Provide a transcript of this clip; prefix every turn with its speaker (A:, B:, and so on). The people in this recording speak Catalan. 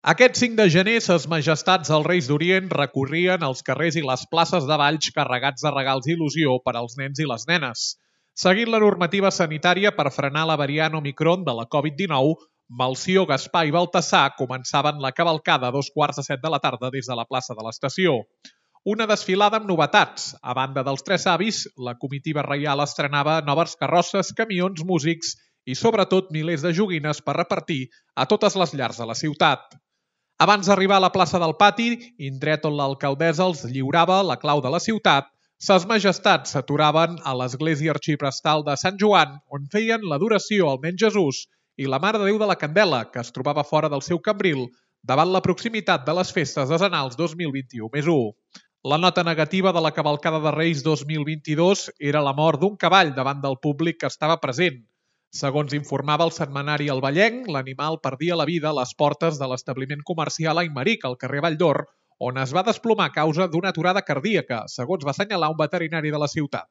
A: Aquest 5 de gener, ses majestats els Reis d'Orient recorrien els carrers i les places de Valls carregats de regals i il·lusió per als nens i les nenes. Seguint la normativa sanitària per frenar la variant Omicron de la Covid-19, Melcior, Gaspar i Baltasar començaven la cavalcada a 2:15 de la tarda des de la plaça de l'Estació. Una desfilada amb novetats. A banda dels tres avis, la comitiva reial estrenava noves carrosses, camions, músics i, sobretot, milers de joguines per repartir a totes les llars de la ciutat. Abans d'arribar a la plaça del Pati, indret on l'alcaldessa els lliurava la clau de la ciutat, ses majestats s'aturaven a l'església arxiprestal de Sant Joan, on feien l'adoració al nen Jesús i la Mare de Déu de la Candela, que es trobava fora del seu cambril, davant la proximitat de les festes decenals 2021+1. La nota negativa de la cavalcada de Reis 2022 era la mort d'un cavall davant del públic que estava present. Segons informava el setmanari El Vallenc, l'animal perdia la vida a les portes de l'establiment comercial Aimeric, al carrer Valldor, on es va desplomar a causa d'una aturada cardíaca, segons va assenyalar un veterinari de la ciutat.